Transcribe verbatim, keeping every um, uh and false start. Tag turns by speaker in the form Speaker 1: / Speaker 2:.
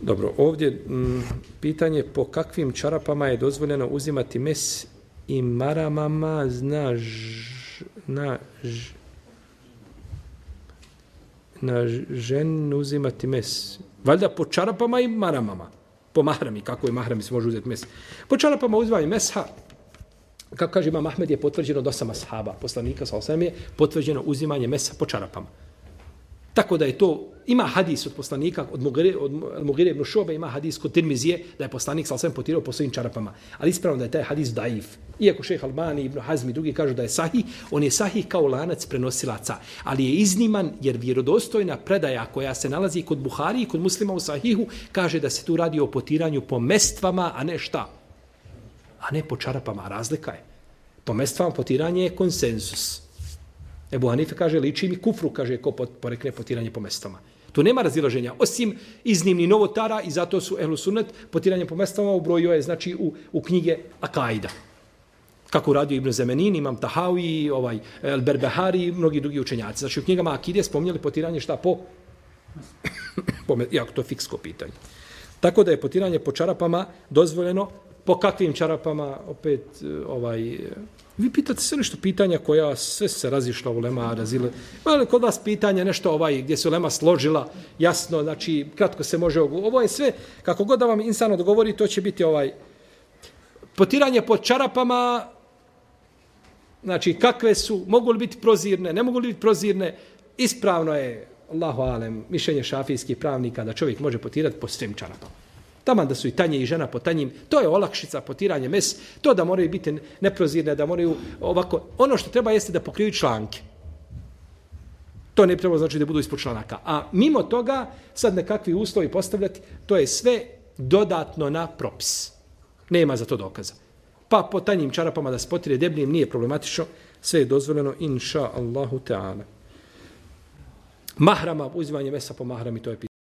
Speaker 1: Dobro, ovdje m, pitanje po kakvim čarapama je dozvoljeno uzimati mes i maramama, zna ž, na, ž, na ženu uzimati mes. Valjda po čarapama i maramama. Po mahrami, kako je mahrami se može uzeti mes. Po čarapama uzimanje mesha, kako kaže Imam Ahmed, je potvrđeno do osam ashaba, poslanika sa osam je potvrđeno uzimanje mesa po čarapama. Tako da je to, ima hadis od poslanika, od Mugire, od Mugire ibn Šobe, ima hadis kod Tirmizije, da je poslanik sa osam potirao po svojim čarapama. Ali ispravno da je taj hadis daif. Iako šejh Albani, Ibn Hazmi i drugi kažu da je sahih, on je sahih kao lanac prenosilaca. Ali je izniman jer vjerodostojna predaja koja se nalazi kod Buhari i kod Muslima u sahihu, kaže da se tu radi o potiranju po mestvama, a ne šta? A ne po čarapama. Razlika je. Po mestvama potiranje je konsenzus. Ebu Hanife kaže, liči mi kufru, kaže, ko porekne potiranje po mestvama. Tu nema razilaženja, osim iznimni novotara i zato su ehlu sunnet potiranje po mestvama ubrojio je, znači, u, u knjige Akaida. Kako uradio Ibn Zemenin, Imam Tahawi, ovaj, El Berbehari i mnogi drugi učenjaci. Znači, u knjigama Akide spominjali potiranje šta po... po jako to je fiksko pitanje. Tako da je potiranje po čarapama dozvoljeno. Po kakvim čarapama, opet, ovaj... Vi pitate sve nešto pitanja koja sve se razišla u lema, razile. Ali kod vas pitanja nešto ovaj, gdje se lema složila, jasno, znači, kratko se može... Ovo je sve, kako god da vam insan odgovori, to će biti ovaj... Potiranje po čarapama, znači, kakve su, mogu li biti prozirne, ne mogu li biti prozirne, ispravno je, Allahu alem, mišljenje šafijskih pravnika da čovjek može potirati po svim čarapama. Taman da su i tanje i žena po tanjim, to je olakšica, potiranje mes, to da moraju biti neprozirne, da moraju ovako, ono što treba jeste da pokriju članke. To ne treba znači da budu ispod članaka. A mimo toga, sad nekakvi uslovi postavljati, to je sve dodatno na propis. Nema za to dokaza. Pa po tanjim čarapama da se potire debljim nije problematično, sve je dozvoljeno, inša Allahu Teala. Mahrama, uzimanje mesa po mahrami, to je pitanje.